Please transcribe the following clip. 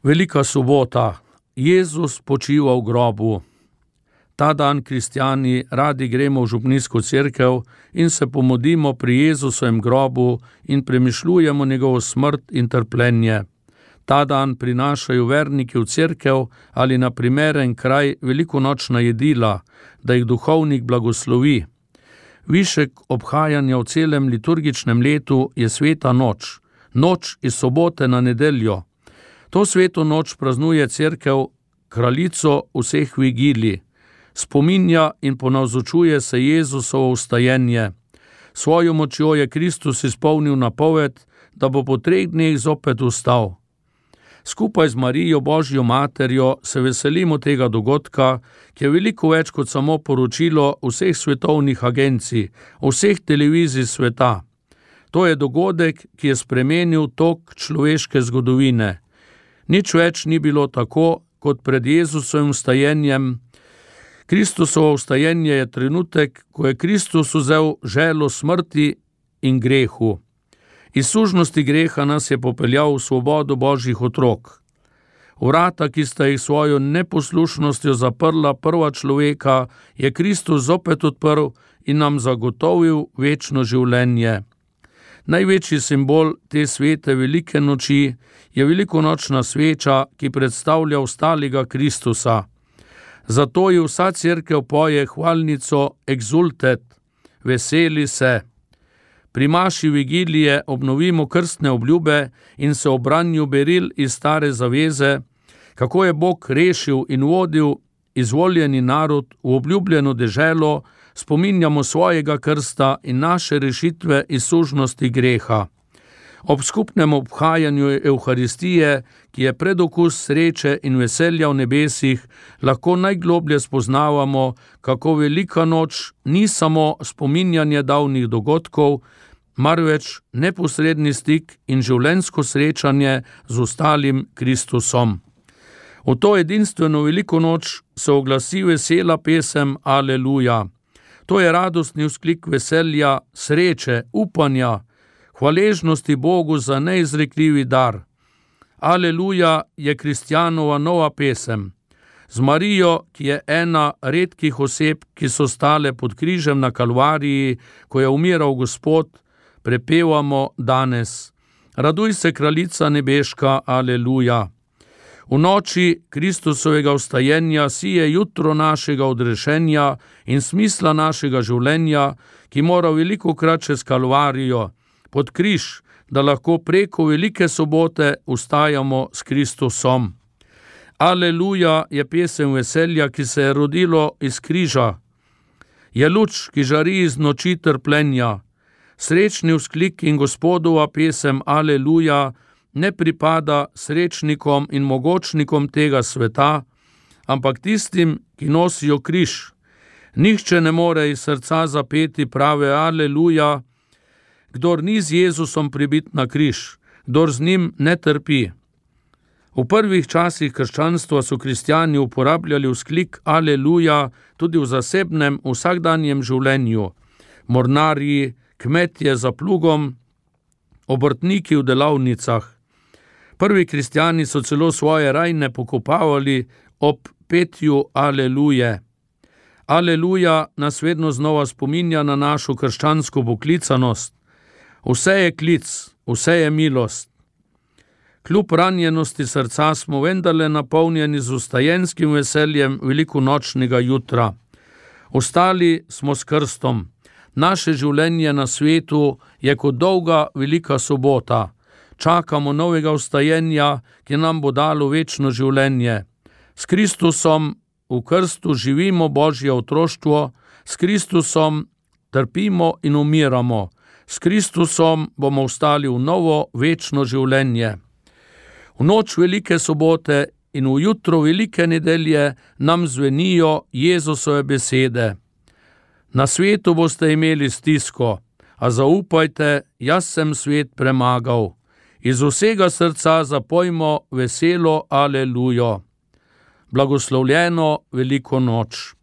Velika sobota. Jezus počiva v grobu. Ta dan kristjani radi gremo v župnijsko cerkev in se pomodimo pri Jezusovem grobu in premišljujemo njegovo smrt in trpljenje. Ta dan prinašajo verniki v cerkev ali na primeren kraj velikonočna jedila, da jih duhovnik blagoslovi. Višek obhajanja v celem liturgičnem letu je sveta noč, noč iz sobote na nedeljo. To sveto noč praznuje cerkev kraljico vseh vigilij. Spominja in ponavzočuje se Jezusovo vstajenje. Svojo močjo je Kristus izpolnil napoved, da bo po 3 dneh zopet vstal. Skupaj z Marijo, Božjo materjo, se veselimo tega dogodka, ki je veliko več kot samo poročilo vseh svetovnih agencij, vseh televizij sveta. To je dogodek, ki je spremenil tok človeške zgodovine. Nič več ni bilo tako, kot pred Jezusovim vstajenjem. Kristusovo vstajenje je trenutek, ko je Kristus vzel želo smrti in grehu. Iz sužnosti greha nas je popeljal v svobodo Božjih otrok. Vrata, ki sta jih svojo neposlušnostjo zaprla prva človeka, je Kristus zopet odprl in nam zagotovil večno življenje. Največji simbol te svete velike noči je velikonočna sveča, ki predstavlja vstalega Kristusa. Zato ji vsa cerkev poje hvalnico Exultet, veseli se. Pri maši vigilije obnovimo krstne obljube in se ob branju beril iz stare zaveze, kako je Bog rešil in vodil izvoljeni narod v obljubljeno deželo, spominjamo svojega krsta in naše rešitve iz sužnosti greha. Ob skupnem obhajanju Evharistije, ki je predokus sreče in veselja v nebesih, lahko najgloblje spoznavamo, kako velika noč ni samo spominjanje davnih dogodkov, marveč neposredni stik in življenjsko srečanje z ostalim Kristusom. V to edinstveno veliko noč se oglasi vesela pesem Aleluja. To je radostni vzklik veselja, sreče, upanja, hvaležnosti Bogu za neizrekljivi dar. Aleluja je kristjanova nova pesem. Z Marijo, ki je ena redkih oseb, ki so stale pod križem na Kalvariji, ko je umiral Gospod, prepevamo danes. Raduj se, kraljica nebeška, aleluja. V noči Kristusovega vstajenja sije jutro našega odrešenja in smisla našega življenja, ki mora velikokrat čez Kalvarijo, pod križ, da lahko preko velike sobote vstajamo s Kristusom. Aleluja je pesem veselja, ki se je rodilo iz križa. Je luč, ki žari iz noči trpljenja. Srečni vzklik in Gospodova pesem Aleluja ne pripada srečnikom in mogočnikom tega sveta, ampak tistim, ki nosijo križ. Nihče ne more iz srca zapeti prave Aleluja, kdor ni z Jezusom pribit na križ, kdor z njim ne trpi. V prvih časih krščanstva so kristjani uporabljali vzklik Aleluja tudi v zasebnem vsakdanjem življenju. Mornarji, kmetje za plugom, obrtniki v delavnicah. Prvi kristjani so celo svoje rajne pokopavali ob petju Aleluje. Aleluja nas vedno znova spominja na našo krščansko poklicanost. Vse je klic, vse je milost. Kljub ranjenosti srca smo vendarle napolnjeni z vstajenskim veseljem velikonočnega jutra. Ostali smo s krstom. Naše življenje na svetu je kot dolga velika sobota. Čakamo novega vstajenja, ki nam bo dalo večno življenje. S Kristusom v krstu živimo Božje otroštvo, s Kristusom trpimo in umiramo. S Kristusom bomo vstali v novo večno življenje. V noč velike sobote in v jutro velike nedelje nam zvenijo Jezusove besede. Na svetu boste imeli stisko, a zaupajte, jaz sem svet premagal. Iz vsega srca zapojmo veselo Alelujo. Blagoslovljeno veliko noč.